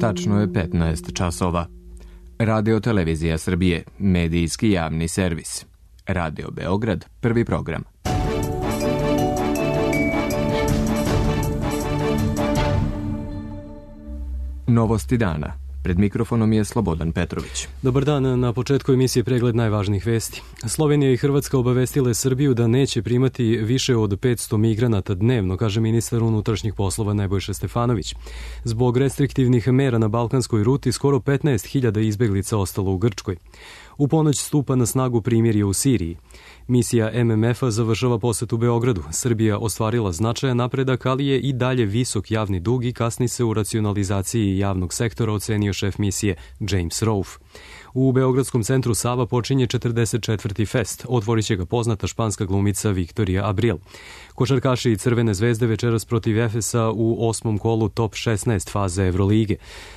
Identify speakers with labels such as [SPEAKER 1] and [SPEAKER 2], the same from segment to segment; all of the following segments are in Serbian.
[SPEAKER 1] Tačno je 15 časova. Radio Televizija Srbije, medijski javni servis. Radio Beograd, prvi program. Novosti dana. Pred mikrofonom je Slobodan Petrović.
[SPEAKER 2] Dobar dan, na početku emisije pregled najvažnijih vesti. Slovenija i Hrvatska obavestile Srbiju da neće primati više od 500 migranata dnevno, kaže ministar unutrašnjih poslova Nebojša Stefanović. Zbog restriktivnih mera na balkanskoj ruti skoro 15.000 izbeglica ostalo u Grčkoj. U ponoć stupa na snagu primirje u Siriji. Misija MMF-a završava posetu Beogradu. Srbija ostvarila značajan napredak, ali je i dalje visok javni dug i kasni se u racionalizaciji javnog sektora, ocenio šef misije James Rolfe. U Beogradskom centru Sava počinje 44. fest. Otvorit će ga poznata španska glumica Viktorija Abril. Košarkaši Crvene zvezde večeras protiv Efesa u 8. kolu top 16 faze Evrolige.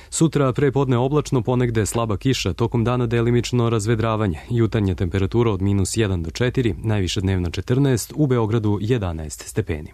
[SPEAKER 2] Sutra prepodne oblačno, ponegde slaba kiša, tokom dana delimično razvedravanje. Jutarnja temperatura od -1 do 4, najviša dnevna 14, u Beogradu 11 stepeni.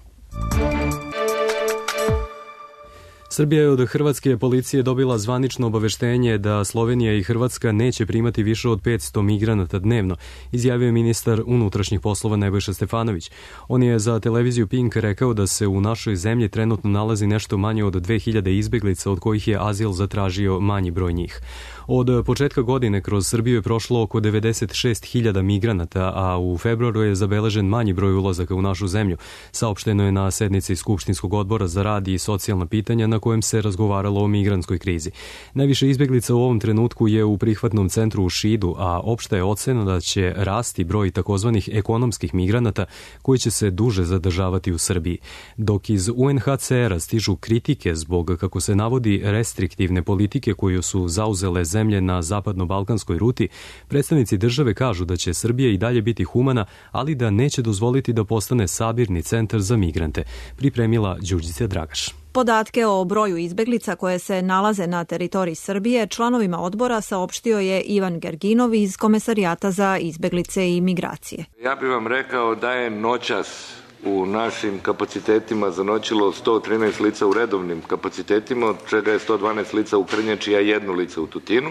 [SPEAKER 2] Srbija je od hrvatske policije dobila zvanično obaveštenje da Slovenija i Hrvatska neće primati više od 500 migranata dnevno, izjavio je ministar unutrašnjih poslova Nebojša Stefanović. On je za televiziju Pink rekao da se u našoj zemlji trenutno nalazi nešto manje od 2000 izbeglica, od kojih je azil zatražio manji broj njih. Od početka godine kroz Srbiju je prošlo oko 96.000 migranata, a u februaru je zabeležen manji broj ulazaka u našu zemlju. Saopšteno je na sednici Skupštinskog odbora za rad i socijalna pitanja na kojem se razgovaralo o migrantskoj krizi. Najviše izbeglica u ovom trenutku je u prihvatnom centru u Šidu, a opšta je ocena da će rasti broj takozvanih ekonomskih migranata koji će se duže zadržavati u Srbiji. Dok iz UNHCR-a stižu kritike zbog, kako se navodi, restriktivne politike koju su zauzele zemlje na zapadno-balkanskoj ruti, predstavnici države kažu da će Srbija i dalje biti humana, ali da neće dozvoliti da postane sabirni centar za migrante, pripremila Đurđica Dragaš.
[SPEAKER 3] Podatke o broju izbeglica koje se nalaze na teritoriji Srbije članovima odbora saopštio je Ivan Gerginov iz Komesarijata za izbeglice i migracije.
[SPEAKER 4] Ja bih vam rekao da je noćas u našim kapacitetima zanoćilo 113 lica u redovnim kapacitetima, od čega je 112 lica u Krnjači, a 1 lice u Tutinu.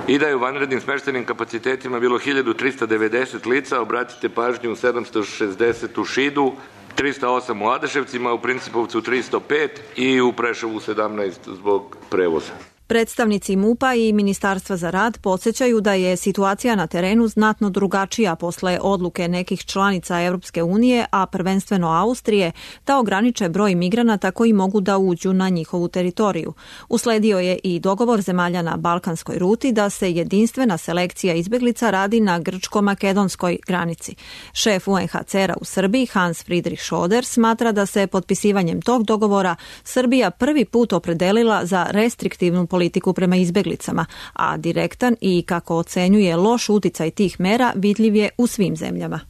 [SPEAKER 4] I da je u vanrednim smeštenim kapacitetima bilo 1390 lica, obratite pažnju, 760 u Šidu, 308 u Adeševcima, u Principovcu 305 i u Preševu 17 zbog prevoza.
[SPEAKER 3] Predstavnici MUP-a i Ministarstva za rad podsjećaju da je situacija na terenu znatno drugačija posle odluke nekih članica Evropske unije, a prvenstveno Austrije, da ograniče broj migranata koji mogu da uđu na njihovu teritoriju. Usledio je i dogovor zemalja na balkanskoj ruti da se jedinstvena selekcija izbeglica radi na grčko-makedonskoj granici. Šef UNHCR-a u Srbiji, Hans Friedrich Schoder, smatra da se potpisivanjem tog dogovora Srbija prvi put opredelila za restriktivnu politiku prema izbeglicama, a direktan i, kako ocenjuje, loš uticaj tih mera vidljiv je u svim zemljama.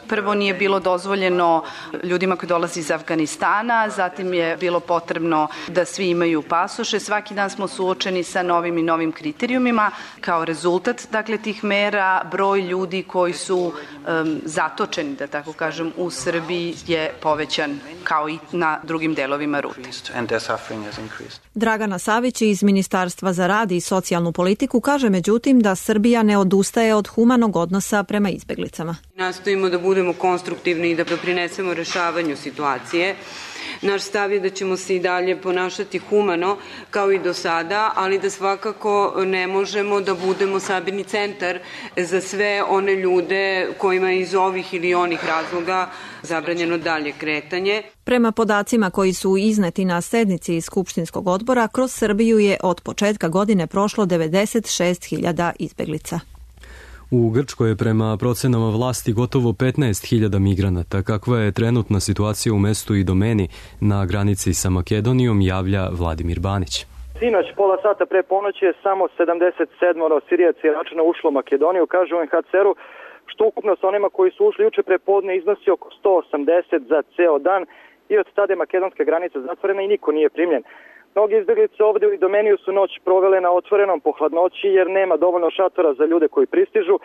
[SPEAKER 5] Prvo nije bilo dozvoljeno ljudima koji dolaze iz Afganistana, zatim je bilo potrebno da svi imaju pasoše. Svaki dan smo suočeni sa novim i novim kriterijumima. Kao rezultat, dakle, tih mera, broj ljudi koji su zatočeni, da tako kažem, u Srbiji je povećan kao i na drugim delovima rute.
[SPEAKER 3] Dragana Savić iz Ministarstva za rad i socijalnu politiku kaže međutim da Srbija ne odustaje od humanog odnosa prema izbeglicama.
[SPEAKER 6] Nastojimo da budemo konstruktivni i da doprinesemo rešavanju situacije. Naš stav je da ćemo se i dalje ponašati humano kao i do sada, ali da svakako ne možemo da budemo sabirni centar za sve one ljude kojima iz ovih ili onih razloga zabranjeno dalje kretanje.
[SPEAKER 3] Prema podacima koji su izneti na sednici iz Skupštinskog odbora, kroz Srbiju je od početka godine prošlo 96.000 izbeglica.
[SPEAKER 2] U Grčkoj je prema procenama vlasti gotovo 15.000 migranata. Kakva je trenutna situacija u mestu i domeni na granici sa Makedonijom, javlja Vladimir Banić.
[SPEAKER 7] Sinoć, pola sata pre ponoći je samo 77 Sirijaca i Iračana ušlo u Makedoniju, kaže UNHCR-u, što ukupno sa onima koji su ušli juče pre podne iznosi oko 180 za ceo dan i od tada je makedonska granica zatvorena i niko nije primljen. Mnogi izbeglice ovde u Idomeniju su noć provele na otvorenom po hladnoći jer nema dovoljno šatora za ljude koji pristižu.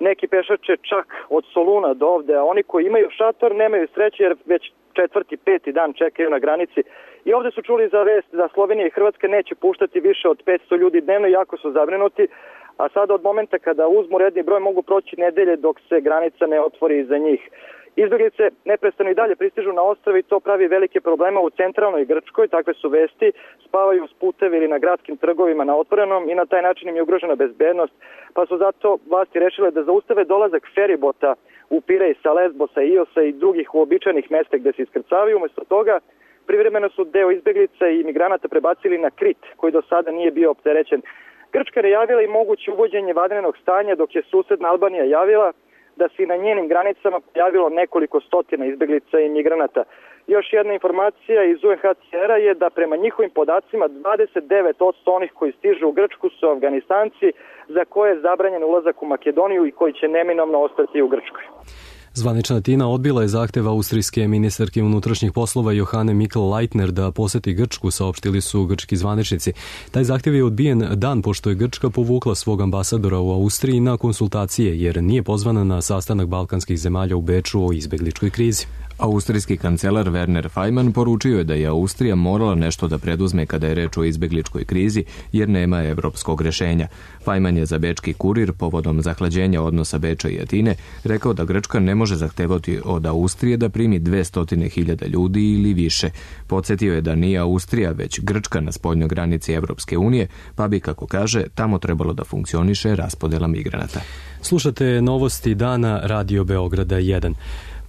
[SPEAKER 7] Neki pešače čak od Soluna do ovde, a oni koji imaju šator nemaju sreće jer već 4., 5. dan čekaju na granici. I ovde su čuli za vest da Slovenija i Hrvatska neće puštati više od 500 ljudi dnevno, jako su zabrinuti, a sada od momenta kada uzmu redni broj mogu proći nedelje dok se granica ne otvori za njih. Izbeglice neprestano i dalje pristižu na ostrve i to pravi velike probleme u centralnoj Grčkoj, takve su vesti, spavaju uz puteve ili na gradskim trgovima na otvorenom i na taj način im je ugrožena bezbednost, pa su zato vlasti rešile da zaustave dolazak feribota u Pirej sa Lesbosa, Iosa i drugih uobičajenih mesta gde se iskrcavaju. Umesto toga, privremeno su deo izbeglica i migranata prebacili na Krit, koji do sada nije bio opterećen. Grčka je javila i moguće uvođenje vanrednog stanja, dok je susedna Albanija javila da se na njenim granicama pojavilo nekoliko stotina izbeglica i migranata. Još jedna informacija iz UNHCR-a je da prema njihovim podacima 29% onih koji stižu u Grčku su Afganistanci za koje je zabranjen ulazak u Makedoniju i koji će neminovno ostati u Grčkoj.
[SPEAKER 2] Zvanična Tina odbila je zahtev austrijske ministarke unutrašnjih poslova Johane Mikl-Leitner da poseti Grčku, saopštili su grčki zvaničnici. Taj zahtev je odbijen dan pošto je Grčka povukla svog ambasadora u Austriji na konsultacije jer nije pozvana na sastanak balkanskih zemalja u Beču o izbegličkoj krizi.
[SPEAKER 1] Austrijski kancelar Werner Faymann poručio je da je Austrija morala nešto da preduzme kada je reč o izbegličkoj krizi jer nema evropskog rešenja. Faymann je za bečki Kurir povodom zahlađenja odnosa Beča i Atine rekao da Grčka ne može zahtevati od Austrije da primi 200.000 ljudi ili više. Podsjetio je da nije Austrija već Grčka na spoljnoj granici Evropske unije, pa bi, kako kaže, tamo trebalo da funkcioniše raspodela migranata.
[SPEAKER 2] Slušate novosti dana Radio Beograda 1.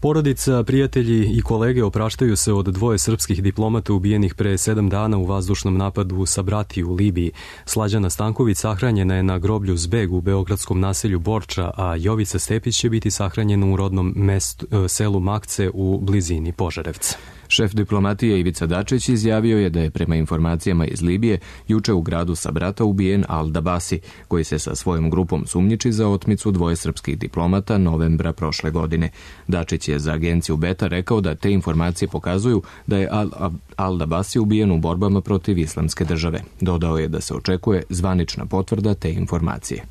[SPEAKER 2] Porodica, prijatelji i kolege opraštaju se od 2 srpskih diplomata ubijenih pre 7 dana u vazdušnom napadu u Sabrati u Libiji. Slađana Stanković sahranjena je na groblju Zbeg u beogradskom naselju Borča, a Jovica Stepić će biti sahranjena u rodnom selu Makce u blizini Požarevca.
[SPEAKER 1] Šef diplomatije Ivica Dačić izjavio je da je prema informacijama iz Libije juče u gradu Sabrata ubijen Al-Dabasi, koji se sa svojom grupom sumnjiči za otmicu 2 srpskih diplomata novembra prošle godine. Dačić je za agenciju Beta rekao da te informacije pokazuju da je Al-Dabasi ubijen u borbama protiv Islamske države. Dodao je da se očekuje zvanična potvrda te informacije.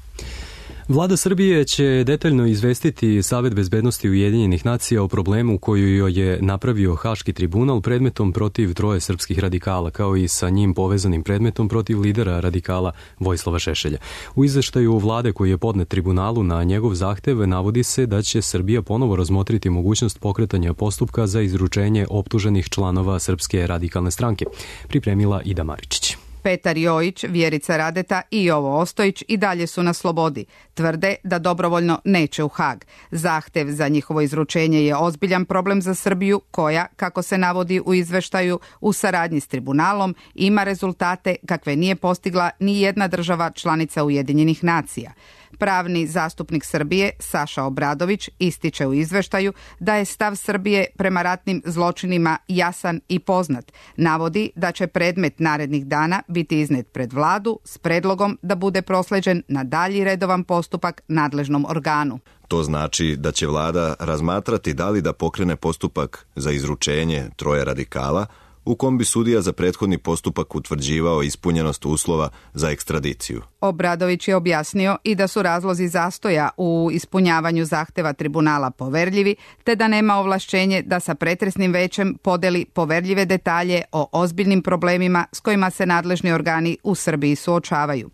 [SPEAKER 2] Vlada Srbije će detaljno izvestiti Savet bezbednosti Ujedinjenih nacija o problemu koju joj je napravio Haški tribunal predmetom protiv 3 srpskih radikala, kao i sa njim povezanim predmetom protiv lidera radikala Vojislava Šešelja. U izveštaju vlade koji je podnet tribunalu na njegov zahtev navodi se da će Srbija ponovo razmotriti mogućnost pokretanja postupka za izručenje optuženih članova Srpske radikalne stranke. Pripremila Ida Maričić.
[SPEAKER 8] Petar Jojić, Vjerica Radeta i Jovo Ostojić i dalje su na slobodi. Tvrde da dobrovoljno neće u Hag. Zahtev za njihovo izručenje je ozbiljan problem za Srbiju koja, kako se navodi u izveštaju, u saradnji s tribunalom ima rezultate kakve nije postigla ni jedna država članica Ujedinjenih nacija. Pravni zastupnik Srbije Saša Obradović ističe u izveštaju da je stav Srbije prema ratnim zločinima jasan i poznat. Navodi da će predmet narednih dana biti iznet pred vladu s predlogom da bude prosleđen na dalji redovan postupak nadležnom organu.
[SPEAKER 9] To znači da će vlada razmatrati da li da pokrene postupak za izručenje 3 radikala, u kom bi sudija za prethodni postupak utvrđivao ispunjenost uslova za ekstradiciju.
[SPEAKER 8] Obradović je objasnio i da su razlozi zastoja u ispunjavanju zahteva tribunala poverljivi, te da nema ovlašćenje da sa pretresnim većem podeli poverljive detalje o ozbiljnim problemima s kojima se nadležni organi u Srbiji suočavaju.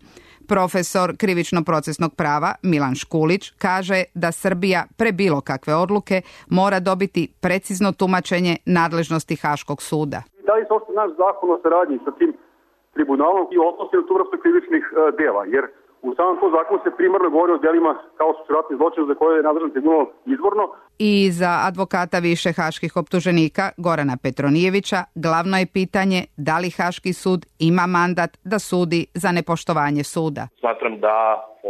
[SPEAKER 8] Profesor krivično-procesnog prava Milan Škulić kaže da Srbija pre bilo kakve odluke mora dobiti precizno tumačenje nadležnosti Haškog suda.
[SPEAKER 10] Da li se ošto naš zakon o saradnji sa tim tribunalom i odnosi na tu vrstu krivičnih dela, jer u samom tom zakonu se primarno govori o delima kao su ratni zločini za koje je nadležan tribunal izvorno.
[SPEAKER 8] I za advokata više haških optuženika Gorana Petronijevića glavno je pitanje da li Haški sud ima mandat da sudi za nepoštovanje suda.
[SPEAKER 11] Smatram da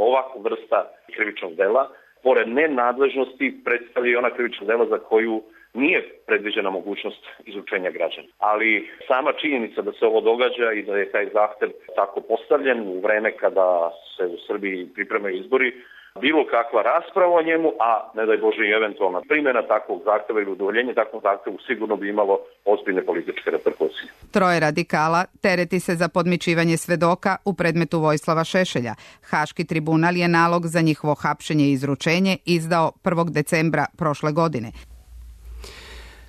[SPEAKER 11] ovakva vrsta krivičnog dela, pored nenadležnosti, predstavlja i ona krivična dela za koju nije predviđena mogućnost izručenja građana. Ali sama činjenica da se ovo događa i da je taj zahtev tako postavljen u vreme kada se u Srbiji pripremaju izbori, bilo kakva rasprava o njemu, a ne daj Bože i eventualna primjena takvog zahteva ili udovoljenje takvom zahtevu sigurno bi imalo ozbiljne političke reperkusije.
[SPEAKER 8] 3 radikala tereti se za podmićivanje svedoka u predmetu Vojislava Šešelja. Haški tribunal je nalog za njihovo hapšenje i izručenje izdao 1. decembra prošle godine.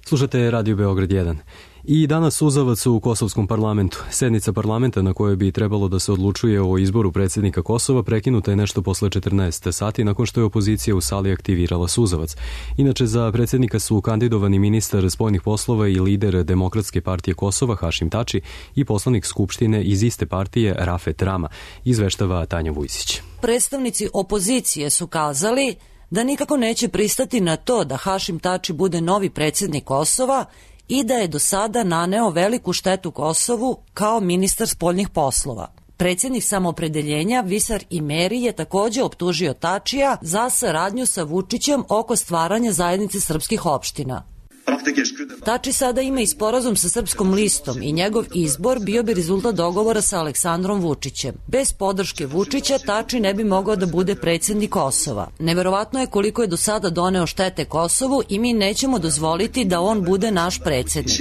[SPEAKER 2] Slušate Radio Beograd 1. I danas suzavac u kosovskom parlamentu. Sednica parlamenta na kojoj bi trebalo da se odlučuje o izboru predsjednika Kosova prekinuta je nešto posle 14 sati nakon što je opozicija u sali aktivirala suzavac. Inače, za predsjednika su kandidovani ministar spoljnih poslova i lider Demokratske partije Kosova Hašim Tači i poslanik Skupštine iz iste partije Rafet Rama, izveštava Tanja Vujsić.
[SPEAKER 12] Predstavnici opozicije su kazali da nikako neće pristati na to da Hašim Tači bude novi predsjednik Kosova i da je do sada naneo veliku štetu Kosovu kao ministar spoljnih poslova. Predsjednik Samoopredeljenja Visar Imeri je također optužio Tačija za saradnju sa Vučićem oko stvaranja zajednice srpskih opština. Tači sada ima i sporazum sa Srpskom listom i njegov izbor bio bi rezultat dogovora sa Aleksandrom Vučićem. Bez podrške Vučića Tači ne bi mogao da bude predsjednik Kosova. Neverovatno je koliko je do sada doneo štete Kosovu i mi nećemo dozvoliti da on bude naš predsjednik.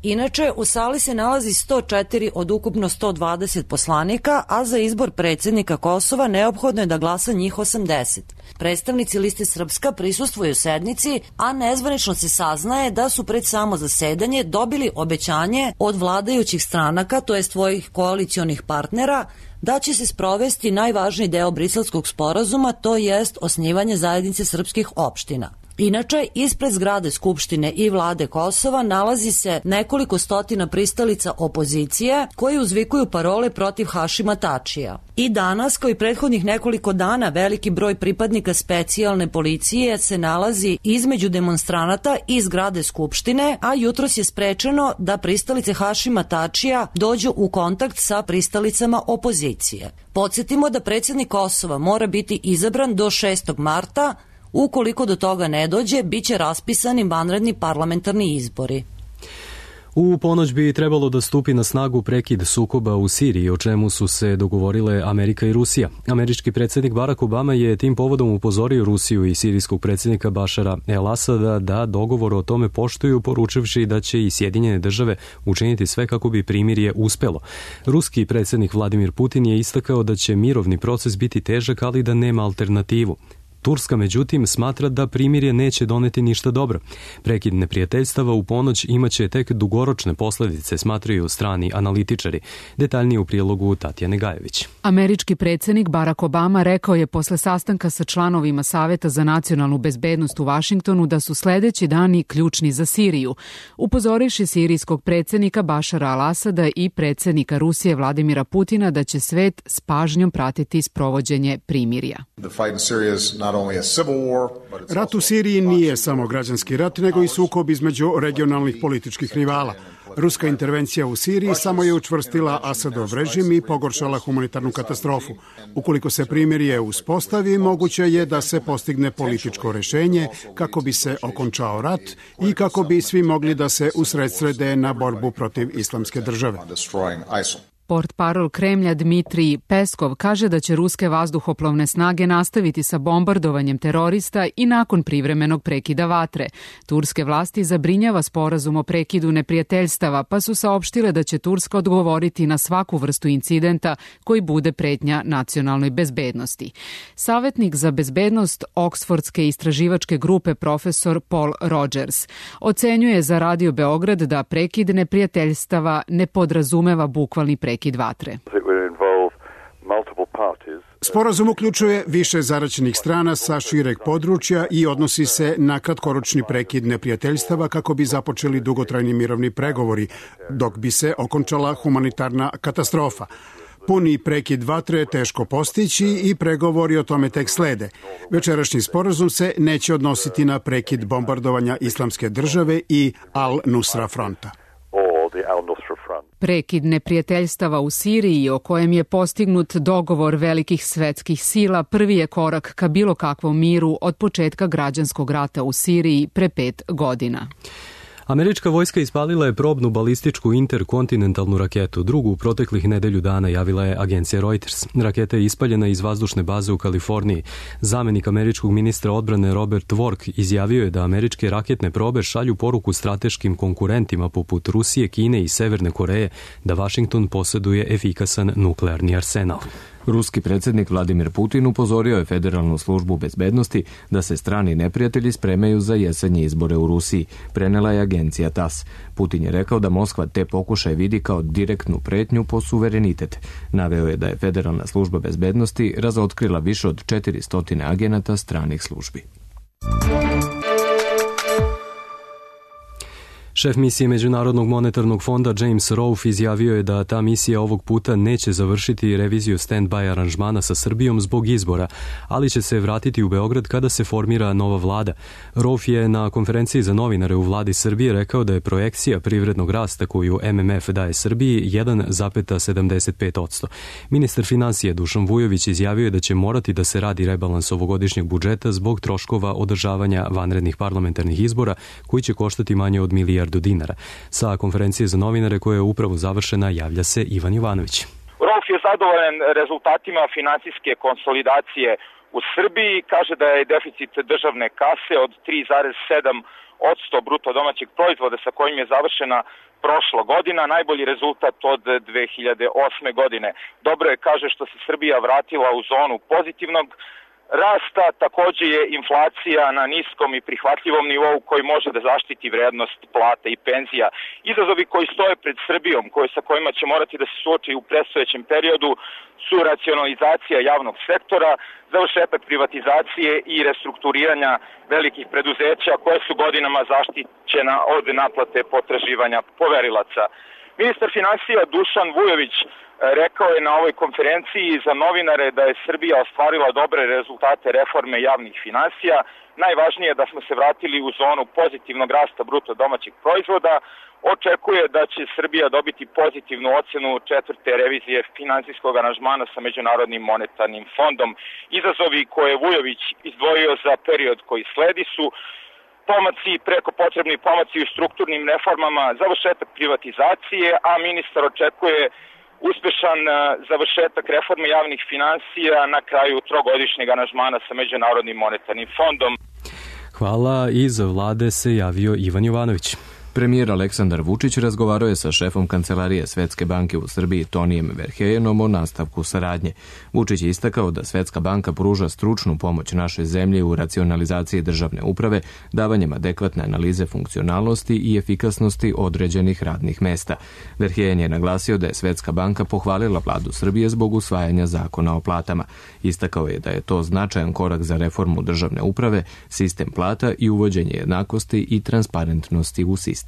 [SPEAKER 12] Inače, u sali se nalazi 104 od ukupno 120 poslanika, a za izbor predsjednika Kosova neophodno je da glasa njih 80. Predstavnici liste Srpska prisustvuju sednici, a nezvanično se saznaje da su pred samo zasedanje dobili obećanje od vladajućih stranaka, to jest svojih koalicionih partnera, da će se sprovesti najvažniji deo Briselskog sporazuma, to jest osnivanje zajednice srpskih opština. Inače, ispred zgrade Skupštine i vlade Kosova nalazi se nekoliko stotina pristalica opozicije koji uzvikuju parole protiv Hašima Tačija. I danas, kao i prethodnih nekoliko dana, veliki broj pripadnika specijalne policije se nalazi između demonstranata i zgrade Skupštine, a jutros je sprečeno da pristalice Hašima Tačija dođu u kontakt sa pristalicama opozicije. Podsjetimo da predsjednik Kosova mora biti izabran do 6. marta, ukoliko do toga ne dođe, bit će raspisani vanredni parlamentarni izbori.
[SPEAKER 2] U ponoć bi trebalo da stupi na snagu prekid sukoba u Siriji, o čemu su se dogovorile Amerika i Rusija. Američki predsjednik Barack Obama je tim povodom upozorio Rusiju i sirijskog predsjednika Bašara el-Asada da dogovor o tome poštuju, poručivši da će i Sjedinjene države učiniti sve kako bi primirje uspelo. Ruski predsjednik Vladimir Putin je istakao da će mirovni proces biti težak, ali da nema alternativu. Turska, međutim, smatra da primirje neće doneti ništa dobro. Prekid neprijateljstava u ponoć imaće tek dugoročne posljedice, smatraju strani analitičari. Detaljnije u prilogu Tatjane Gajević.
[SPEAKER 8] Američki predsjednik Barack Obama rekao je posle sastanka sa članovima Saveta za nacionalnu bezbednost u Vašingtonu da su sljedeći dani ključni za Siriju, upozoriši sirijskog predsjednika Bašara al-Asada i predsjednika Rusije Vladimira Putina da će svet s pažnjom pratiti sprovođenje primirja.
[SPEAKER 13] Rat u Siriji nije samo građanski rat, nego i sukob između regionalnih političkih rivala. Ruska intervencija u Siriji samo je učvrstila Asadov režim i pogoršala humanitarnu katastrofu. Ukoliko se primirje uspostavi, moguće je da se postigne političko rješenje kako bi se okončao rat i kako bi svi mogli da se usredsrede na borbu protiv islamske države.
[SPEAKER 8] Portparol Kremlja Dmitrij Peskov kaže da će ruske vazduhoplovne snage nastaviti sa bombardovanjem terorista i nakon privremenog prekida vatre. Turske vlasti zabrinjava sporazum o prekidu neprijateljstava, pa su saopštile da će Turska odgovoriti na svaku vrstu incidenta koji bude pretnja nacionalnoj bezbednosti. Savjetnik za bezbednost Oksfordske istraživačke grupe profesor Paul Rogers ocenjuje za Radio Beograd da prekid neprijateljstava ne podrazumeva bukvalni prekid vatre.
[SPEAKER 13] Sporazum uključuje više zaraćenih strana sa šireg područja i odnosi se na kratkoročni prekid neprijateljstava kako bi započeli dugotrajni mirovni pregovori, dok bi se okončala humanitarna katastrofa. Puni prekid vatre je teško postići i pregovori o tome tek slede. Večerašnji sporazum se neće odnositi na prekid bombardovanja Islamske države i Al-Nusra fronta.
[SPEAKER 8] Prekid neprijateljstava u Siriji, o kojem je postignut dogovor velikih svetskih sila, prvi je korak ka bilo kakvom miru od početka građanskog rata u Siriji pre 5 godina.
[SPEAKER 2] Američka vojska ispalila je probnu balističku interkontinentalnu raketu. Drugu u proteklih nedelju dana javila je agencija Reuters. Raketa je ispaljena iz vazdušne baze u Kaliforniji. Zamenik američkog ministra odbrane Robert Work izjavio je da američke raketne probe šalju poruku strateškim konkurentima poput Rusije, Kine i Severne Koreje da Washington posjeduje efikasan nuklearni arsenal.
[SPEAKER 1] Ruski predsjednik Vladimir Putin upozorio je Federalnu službu bezbednosti da se strani neprijatelji spremaju za jesenje izbore u Rusiji, prenela je agencija TASS. Putin je rekao da Moskva te pokušaje vidi kao direktnu pretnju po suverenitet. Naveo je da je Federalna služba bezbednosti razotkrila više od 400 agenata stranih službi.
[SPEAKER 2] Šef misije Međunarodnog monetarnog fonda James Rolfe izjavio je da ta misija ovog puta neće završiti reviziju stand-by aranžmana sa Srbijom zbog izbora, ali će se vratiti u Beograd kada se formira nova vlada. Rolfe je na konferenciji za novinare u vladi Srbije rekao da je projekcija privrednog rasta koju MMF daje Srbiji 1,75%. Ministar finansija Dušan Vujović izjavio je da će morati da se radi rebalans ovogodišnjeg budžeta zbog troškova održavanja vanrednih parlamentarnih izbora koji će koštati manje od milijardu dinara. Sa konferencije za novinare koja je upravo završena javlja se Ivan Jovanović.
[SPEAKER 14] Rolfe je zadovoljan rezultatima finansijske konsolidacije u Srbiji. Kaže da je deficit državne kase od 3,7% bruto domaćeg proizvoda sa kojim je završena prošla godina, najbolji rezultat od 2008. godine. Dobro je, kaže, što se Srbija vratila u zonu pozitivnog rasta, također je inflacija na niskom i prihvatljivom nivou koji može da zaštiti vrednost plata i penzija. Izazovi koji stoje pred Srbijom, sa kojima će morati da se suoči u predstojećem periodu, su racionalizacija javnog sektora, završetak privatizacije i restrukturiranja velikih preduzeća koje su godinama zaštićena od naplate potraživanja poverilaca. Ministar finansija Dušan Vujović rekao je na ovoj konferenciji za novinare da je Srbija ostvarila dobre rezultate reforme javnih finansija. Najvažnije je da smo se vratili u zonu pozitivnog rasta bruto domaćeg proizvoda. Očekuje da će Srbija dobiti pozitivnu ocjenu 4. revizije finansijskog aranžmana sa Međunarodnim monetarnim fondom. Izazovi koje je Vujović izdvojio za period koji sledi su preko potrebni pomaci u strukturnim reformama, završetak privatizacije, a ministar očekuje uspešan završetak reforme javnih finansija na kraju trogodišnjeg aranžmana sa Međunarodnim monetarnim fondom.
[SPEAKER 2] Hvala, iz vlade se javio Ivan Jovanović.
[SPEAKER 1] Premijer Aleksandar Vučić razgovarao je sa šefom Kancelarije Svetske banke u Srbiji Tonijem Verhejenom o nastavku saradnje. Vučić je istakao da Svetska banka pruža stručnu pomoć našoj zemlji u racionalizaciji državne uprave, davanjem adekvatne analize funkcionalnosti i efikasnosti određenih radnih mesta. Verhejen je naglasio da je Svetska banka pohvalila vladu Srbije zbog usvajanja zakona o platama. Istakao je da je to značajan korak za reformu državne uprave, sistem plata i uvođenje jednakosti i transparentnosti u sistem.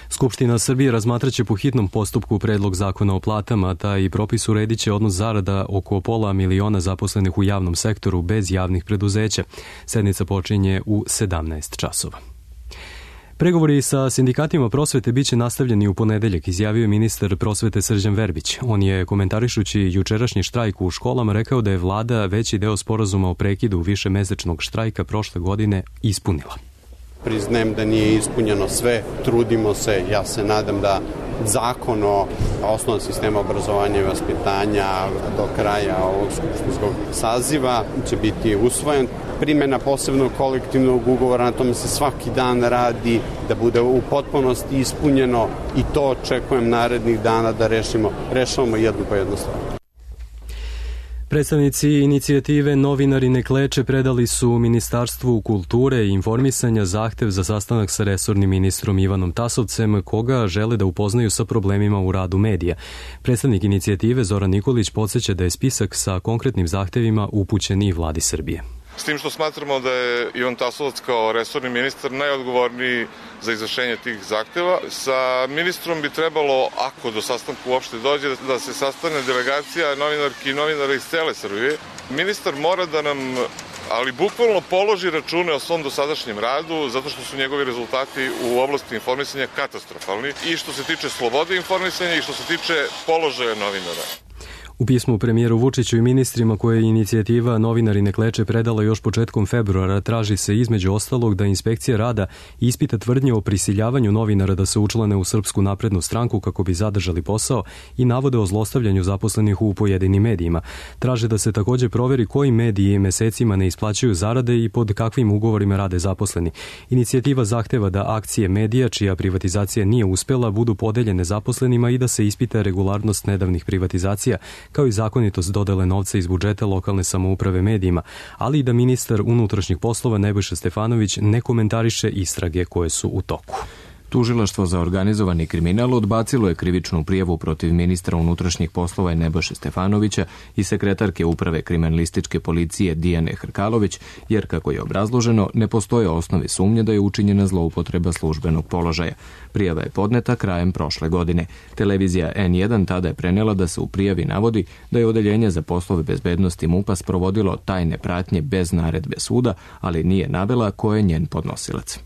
[SPEAKER 2] Skupština Srbije razmatraće po hitnom postupku predlog zakona o platama, taj propis uredit će odnos zarada oko 500.000 zaposlenih u javnom sektoru bez javnih preduzeća. Sednica počinje u 17 časova. Pregovori sa sindikatima prosvete biće nastavljeni u ponedeljak, izjavio je ministar prosvete Srđan Verbić. On je, komentarišući jučerašnji štrajk u školama, rekao da je vlada veći deo sporazuma o prekidu višemesečnog štrajka prošle godine ispunila.
[SPEAKER 15] Priznajem da nije ispunjeno sve, trudimo se, ja se nadam da zakon o osnovnom sistemu obrazovanja i vaspitanja do kraja ovog skupštinskog saziva će biti usvojen. Primjena posebnog kolektivnog ugovora, na tome se svaki dan radi, da bude u potpunosti ispunjeno i to očekujem narednih dana da rešavamo jednu po jednu stvar.
[SPEAKER 2] Predstavnici inicijative Novinari ne kleče predali su Ministarstvu kulture i informisanja zahtev za sastanak sa resornim ministrom Ivanom Tasovcem, koga žele da upoznaju sa problemima u radu medija. Predstavnik inicijative Zoran Nikolić podsjeća da je spisak sa konkretnim zahtevima upućen i vladi Srbije.
[SPEAKER 16] S tim što smatramo da je Ivan Tasovac kao resorni ministar najodgovorniji za izvršenje tih zahteva. Sa ministrom bi trebalo, ako do sastanka uopšte dođe, da se sastane delegacija novinarki i novinara iz cele Srbije. Ministar mora da nam, ali bukvalno položi račune o svom dosadašnjem radu, zato što su njegovi rezultati u oblasti informisanja katastrofalni i što se tiče slobode informisanja i što se tiče položaja novinara.
[SPEAKER 2] U pismu premijeru Vučiću i ministrima koje je inicijativa Novinari ne kleče predala još početkom februara traži se između ostalog da inspekcija rada ispita tvrdnje o prisiljavanju novinara da se učlane u Srpsku naprednu stranku kako bi zadržali posao i navode o zlostavljanju zaposlenih u pojedinim medijima. Traže da se također proveri koji mediji mesecima ne isplaćuju zarade i pod kakvim ugovorima rade zaposleni. Inicijativa zahteva da akcije medija čija privatizacija nije uspjela budu podeljene zaposlenima i da se ispita regularnost nedavnih privatizacija kao i zakonitost dodele novca iz budžeta lokalne samouprave medijima, ali i da ministar unutrašnjih poslova Nebojša Stefanović ne komentariše istrage koje su u toku.
[SPEAKER 1] Tužilaštvo za organizovani kriminal odbacilo je krivičnu prijavu protiv ministra unutrašnjih poslova Nebojše Stefanovića i sekretarke uprave kriminalističke policije Dijane Hrkalović, jer, kako je obrazloženo, ne postoje osnovi sumnje da je učinjena zloupotreba službenog položaja. Prijava je podneta krajem prošle godine. Televizija N1 tada je prenela da se u prijavi navodi da je Odeljenje za poslove bezbednosti MUP-a sprovodilo tajne pratnje bez naredbe suda, ali nije navela ko je njen podnosilac.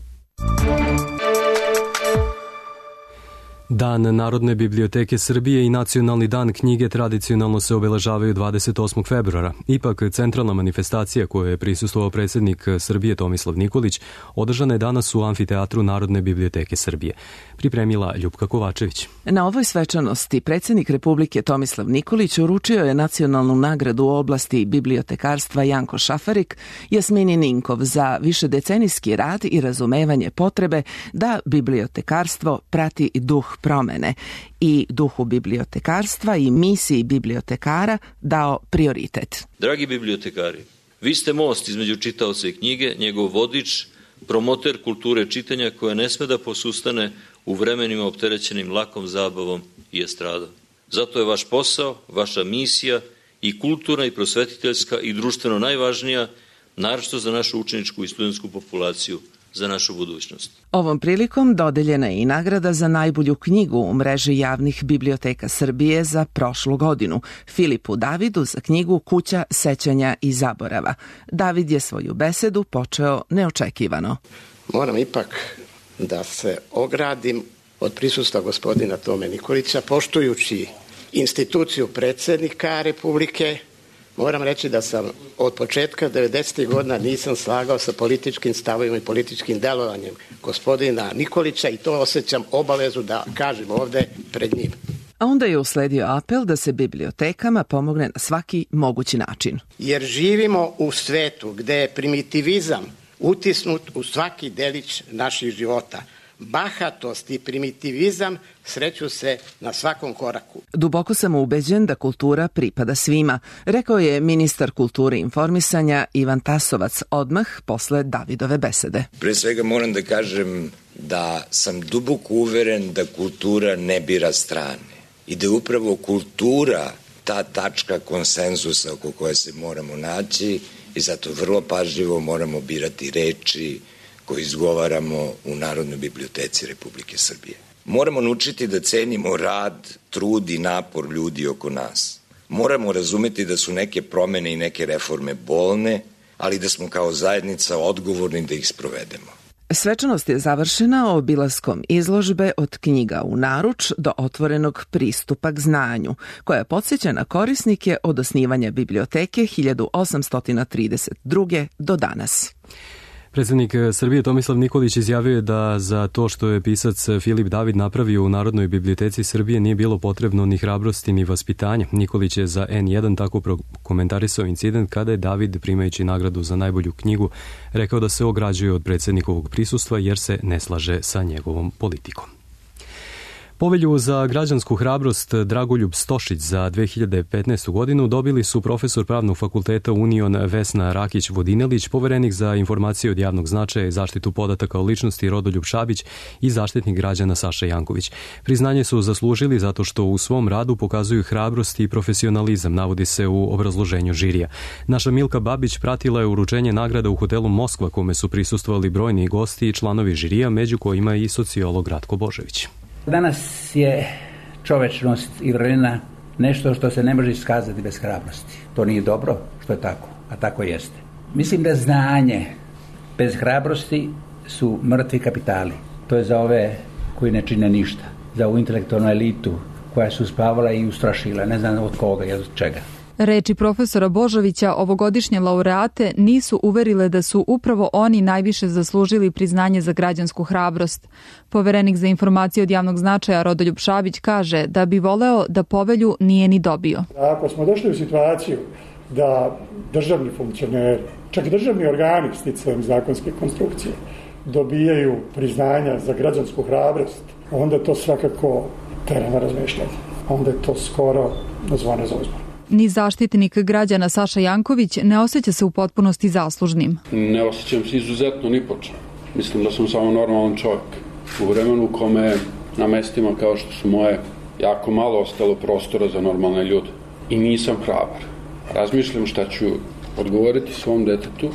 [SPEAKER 2] Dan Narodne biblioteke Srbije i Nacionalni dan knjige tradicionalno se obeležavaju 28. februara. Ipak, centralna manifestacija kojoj je prisustvovao predsjednik Srbije Tomislav Nikolić održana je danas u Amfiteatru Narodne biblioteke Srbije. Pripremila Ljupka Kovačević.
[SPEAKER 17] Na ovoj svečanosti predsjednik Republike Tomislav Nikolić uručio je nacionalnu nagradu u oblasti bibliotekarstva Janko Šafarik Jasmini Ninkov za višedecenijski rad i razumevanje potrebe da bibliotekarstvo prati duh promene i duhu bibliotekarstva i misiji bibliotekara dao prioritet.
[SPEAKER 18] Dragi bibliotekari, vi ste most između čitaoca i knjige, njegov vodič, promoter kulture čitanja koja ne sme da posustane u vremenima opterećenim lakom zabavom i estradom. Zato je vaš posao, vaša misija i kulturna i prosvetiteljska i društveno najvažnija, naročito za našu učeničku i studentsku populaciju, za našu budućnost.
[SPEAKER 17] Ovom prilikom dodeljena je i nagrada za najbolju knjigu u mreži javnih biblioteka Srbije za prošlu godinu, Filipu Davidu za knjigu Kuća sećanja i zaborava. David je svoju besedu počeo neočekivano.
[SPEAKER 19] Moram ipak da se ogradim od prisustva gospodina Tome Nikolića, poštujući instituciju predsjednika Republike. Moram reći da sam od početka 90. godina nisam slagao sa političkim stavovima i političkim delovanjem gospodina Nikolića i to osjećam obavezu da kažem ovde pred njim.
[SPEAKER 17] A onda je usledio apel da se bibliotekama pomogne na svaki mogući način.
[SPEAKER 19] Jer živimo u svetu gde je primitivizam utisnut u svaki delić naših života. Bahatost i primitivizam sreću se na svakom koraku.
[SPEAKER 17] Duboko sam ubeđen da kultura pripada svima, rekao je ministar kulture i informisanja Ivan Tasovac odmah posle Davidove besede.
[SPEAKER 20] Pre svega moram da kažem da sam duboko uveren da kultura ne bira strane i da je upravo kultura ta tačka konsenzusa oko koje se moramo naći i zato vrlo pažljivo moramo birati reči koje izgovaramo u Narodnoj biblioteci Republike Srbije. Moramo naučiti da cenimo rad, trud i napor ljudi oko nas. Moramo razumeti da su neke promene i neke reforme bolne, ali da smo kao zajednica odgovorni da ih sprovedemo.
[SPEAKER 17] Svečanost je završena obilaskom izložbe od knjiga u naruč do otvorenog pristupa k znanju, koja podsjeća na korisnike od osnivanja biblioteke 1832. do danas.
[SPEAKER 2] Predsjednik Srbije Tomislav Nikolić izjavio je da za to što je pisac Filip David napravio u Narodnoj biblioteci Srbije nije bilo potrebno ni hrabrosti ni vaspitanja. Nikolić je za N1 tako prokomentarisao incident kada je David, primajući nagradu za najbolju knjigu, rekao da se ograđuje od predsjednikovog prisustva jer se ne slaže sa njegovom politikom. Povelju za građansku hrabrost Dragoljub Stošić za 2015. godinu dobili su profesor Pravnog fakulteta Union Vesna Rakić-Vodinelić, poverenik za informacije od javnog značaja i zaštitu podataka o ličnosti Rodoljub Šabić i zaštitnik građana Saša Janković. Priznanje su zaslužili zato što u svom radu pokazuju hrabrost i profesionalizam, navodi se u obrazloženju žirija. Naša Milka Babić pratila je uručenje nagrada u hotelu Moskva, kome su prisustvovali brojni gosti i članovi žirija, među kojima i sociolog Ratko Božović.
[SPEAKER 21] Danas je čovečnost i vrlina nešto što se ne može iskazati bez hrabrosti. To nije dobro što je tako, a tako jeste. Mislim da znanje bez hrabrosti su mrtvi kapitali. To je za ove koji ne čine ništa. Za ovu intelektualnu elitu koja su spavala i ustrašila, ne znam od koga i od čega.
[SPEAKER 22] Reči profesora Božovića ovogodišnje laureate nisu uverile da su upravo oni najviše zaslužili priznanje za građansku hrabrost. Poverenik za informacije od javnog značaja Rodoljub Šabić kaže da bi voleo da povelju nije ni dobio.
[SPEAKER 23] Ako smo došli u situaciju da državni funkcioneri, čak državni organi sticajem zakonske konstrukcije dobijaju priznanja za građansku hrabrost, onda to svakako tera na razmišljanje. Onda je to skoro zvone za uzbunu.
[SPEAKER 22] Ni zaštitnik građana Saša Janković ne osjeća se u potpunosti zaslužnim.
[SPEAKER 4] Ne osjećam se izuzetno ni po čemu. Mislim da sam samo normalan čovjek. U vremenu u kome na mestima kao što su moje jako malo ostalo prostora za normalne ljude. I nisam hrabar. Razmišljam šta ću odgovoriti svom detetu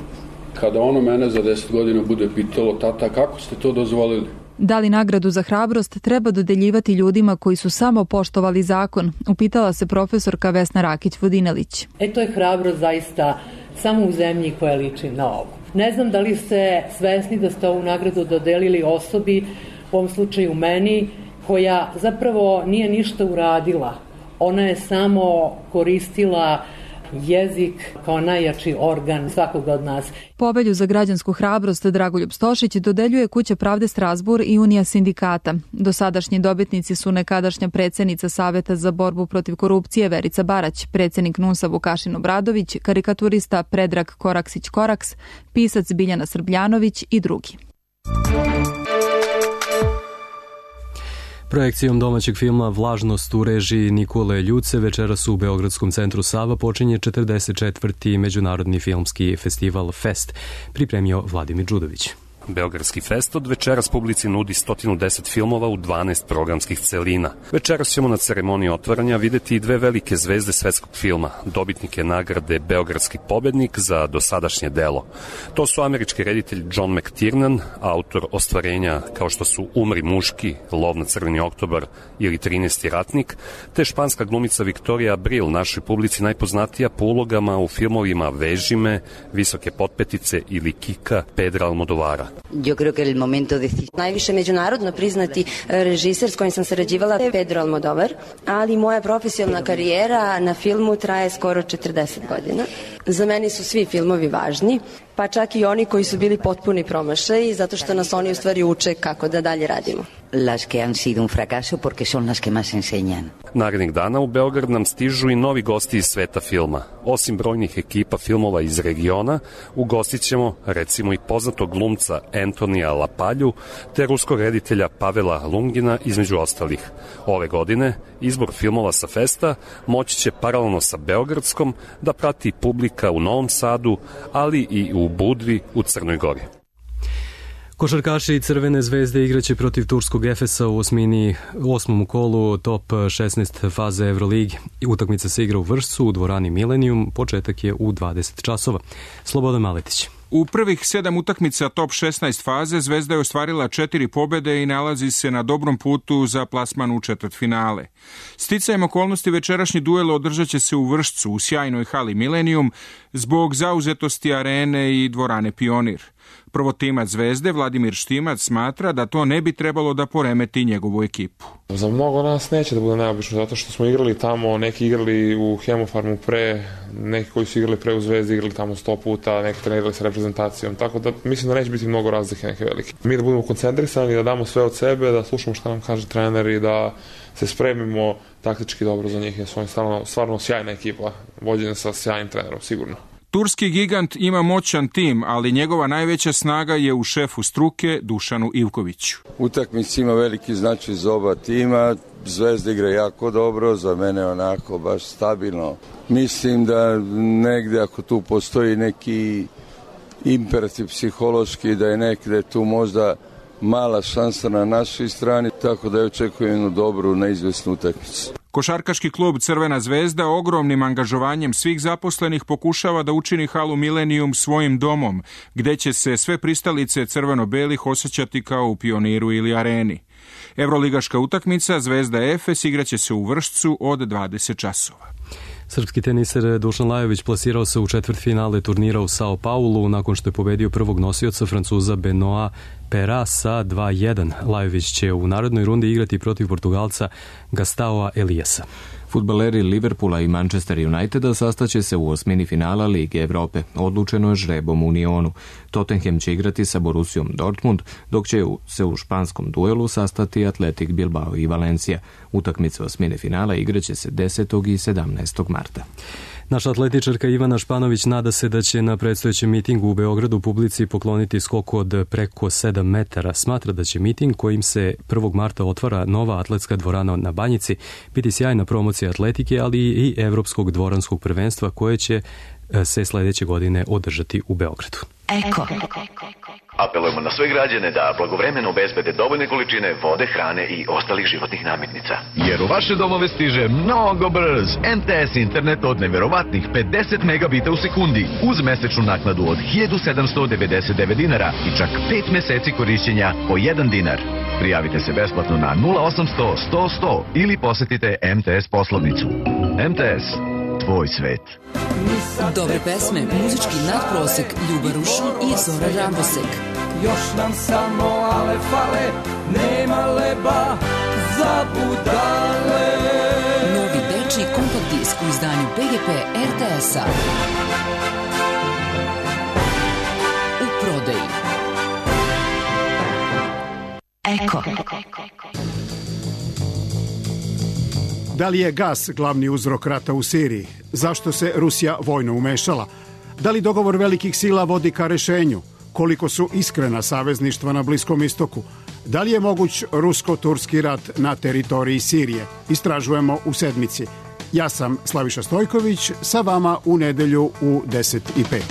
[SPEAKER 4] kada ono mene za 10 godina bude pitalo: tata, kako ste to dozvolili?
[SPEAKER 22] Da li nagradu za hrabrost treba dodeljivati ljudima koji su samo poštovali zakon? Upitala se profesorka Vesna Rakić-Vodinelić.
[SPEAKER 5] To je hrabrost zaista samo u zemlji koja liči na ovo. Ne znam da li ste svesni da ste ovu nagradu dodelili osobi, u ovom slučaju meni, koja zapravo nije ništa uradila. Ona je samo koristila jezik kao najjači organ svakoga od nas.
[SPEAKER 22] Povelju za građansku hrabrost Dragoljub Stošić dodeljuje Kuća pravde Strazbur i Unija sindikata. Dosadašnji dobitnici su nekadašnja predsjednica Saveta za borbu protiv korupcije Verica Barać, predsjednik NUNS-a Vukašin Obradović, karikaturista Predrag Koraksić-Koraks, pisac Biljana Srbljanović i drugi.
[SPEAKER 2] Projekcijom domaćeg filma Vlažnost u režiji Nikole Ljuce večeras u Beogradskom centru Sava počinje 44. Međunarodni filmski festival Fest, pripremio Vladimir Đudović.
[SPEAKER 6] Beogradski fest od večeras publici nudi 110 filmova u 12 programskih celina. Večeras ćemo na ceremoniji otvaranja videti i dve velike zvezde svetskog filma, dobitnike nagrade Beogradski pobednik za dosadašnje delo. To su američki reditelj John McTiernan, autor ostvarenja kao što su Umri muški, Lov na crveni oktobar ili 13. ratnik, te španska glumica Victoria Abril, našoj publici najpoznatija po ulogama u filmovima Veži me, Visoke potpetice ili Kika Pedra Almodovara.
[SPEAKER 24] Yo creo que el momento de najviše međunarodno priznati režiser s kojim sam sarađivala je Pedro Almodovar, ali moja profesionalna karijera na filmu traje skoro 40 godina. Za mene su svi filmovi važni, pa čak i oni koji su bili potpuni promašaji, zato što nas oni u stvari uče kako da dalje radimo.
[SPEAKER 25] Las que han sido un fracaso porque son las que más enseñan.
[SPEAKER 6] Narednih dana u Beograd nam stižu i novi gosti iz sveta filma. Osim brojnih ekipa filmova iz regiona, ugostit ćemo recimo i poznatog glumca Antonija Lapalju, te ruskog reditelja Pavela Lungina između ostalih. Ove godine izbor filmova sa festa moći će paralelno sa Beogradskom da prati publika u Novom Sadu, ali i u Budvi u Crnoj Gori.
[SPEAKER 2] Košarkaši Crvene zvezde igraće protiv turskog Efesa u osmom kolu top 16 faze Euroligi. Utakmica se igra u Vršcu u dvorani Millennium, početak je u 20 časova. Slobodan Maletić.
[SPEAKER 26] U prvih 7 utakmica top 16 faze Zvezda je ostvarila 4 pobjede i nalazi se na dobrom putu za plasman u četvrtfinale. Sticajem okolnosti večerašnji duel održat će se u Vršcu u sjajnoj hali Millennium zbog zauzetosti arene i dvorane Pionir. Prvotimac Zvezde, Vladimir Štimac, smatra da to ne bi trebalo da poremeti njegovu ekipu.
[SPEAKER 27] Za mnogo nas neće da bude neobično, zato što smo igrali tamo, neki igrali u Hemofarmu pre, neki koji su igrali pre u Zvezdi igrali tamo 100 puta, neki trenirali sa reprezentacijom, tako da mislim da neće biti mnogo razlike neke velike. Mi da budemo koncentrisani, da damo sve od sebe, da slušamo šta nam kaže trener i da se spremimo taktički dobro za njih, jer su oni stvarno sjajna ekipa, vođena sa sjajnim trenerom, sigurno.
[SPEAKER 26] Turski gigant ima moćan tim, ali njegova najveća snaga je u šefu struke Dušanu Ivkoviću.
[SPEAKER 28] Utakmica ima veliki značaj za oba tima, Zvezda igra jako dobro, za mene onako baš stabilno. Mislim da negde ako tu postoji neki imperativ psihološki, da je negde tu možda mala šansa na našoj strani, tako da je očekujem jednu dobru, neizvesnu utakmicu.
[SPEAKER 26] Košarkaški klub Crvena zvezda ogromnim angažovanjem svih zaposlenih pokušava da učini halu Millennium svojim domom, gde će se sve pristalice crveno-belih osjećati kao u Pioniru ili Areni. Evroligaška utakmica Zvezda Efes igraće se u Vršcu od 20 časova.
[SPEAKER 2] Srpski teniser Dušan Lajović plasirao se u četvrtfinale turnira u Sao Paulu nakon što je pobedio prvog nosioca Francuza Benoit Pera sa 2-1. Lajović će u narodnoj rundi igrati protiv Portugalca Gastaoa Eliasa.
[SPEAKER 1] Fudbaleri Liverpoola i Manchester Uniteda sastaće se u osmini finala Lige Evrope. Odlučeno je žrebom u Unionu. Tottenham će igrati sa Borussiom Dortmund, dok će se u španskom duelu sastati Athletic Bilbao i Valencia. Utakmice osmine finala igraće se 10. i 17. marta.
[SPEAKER 2] Naša atletičarka Ivana Španović nada se da će na predstojećem mitingu u Beogradu publici pokloniti skok od preko 7 metara. Smatra da će miting kojim se 1. marta otvara nova atletska dvorana na Banjici biti sjajna promocija atletike, ali i evropskog dvoranskog prvenstva koje će se sledeće godine održati u Beogradu.
[SPEAKER 3] Eko. Apelujemo na sve građane da blagovremeno obezbede dovoljne količine vode, hrane i ostalih životnih namirnica. Jer u vaše domove stiže mnogo brz MTS internet od neverovatnih 50 megabita u sekundi uz mesečnu naknadu od 1799 dinara i čak 5 meseci korišćenja po 1 dinar. Prijavite se besplatno na 0800 100 100 ili posetite MTS poslovnicu. MTS, tvoj svet.
[SPEAKER 7] Dobre pesme, muzički nadprosek, Ljuba Rušun i Zora Rambosek.
[SPEAKER 8] Još nam samo ale fale, nema leba za budale.
[SPEAKER 7] Novi dečiji kompakt disk u izdanju PGP RTS-a. U prodaji. Eko.
[SPEAKER 9] Da li je gas glavni uzrok rata u Siriji? Zašto se Rusija vojno umešala? Da li dogovor velikih sila vodi ka rešenju? Koliko su iskrena savezništva na Bliskom istoku? Da li je moguć rusko-turski rat na teritoriji Sirije? Istražujemo u sedmici. Ja sam Slaviša Stojković, sa vama u nedelju u 10:05.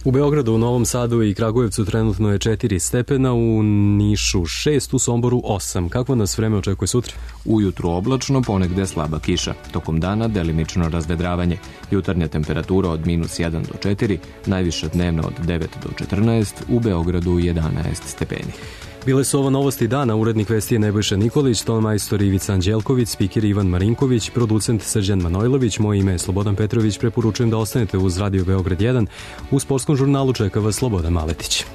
[SPEAKER 2] U Beogradu, u Novom Sadu i Kragujevcu trenutno je 4 stepena, u Nišu 6, u Somboru 8. Kakvo nas vreme očekuje sutra?
[SPEAKER 1] Ujutru oblačno, ponegde slaba kiša. Tokom dana delimično razvedravanje. Jutarnja temperatura od -1 do 4, najviša dnevna od 9 do 14, u Beogradu 11 stepeni.
[SPEAKER 2] Bile su ovo novosti dana, urednik vesti je Nebojša Nikolić, ton majstor Ivica Anđelković, spiker Ivan Marinković, producent Srđan Manojlović, moje ime je Slobodan Petrović, preporučujem da ostanete uz Radio Beograd 1, u sportskom žurnalu čeka vas Slobodan Maletić.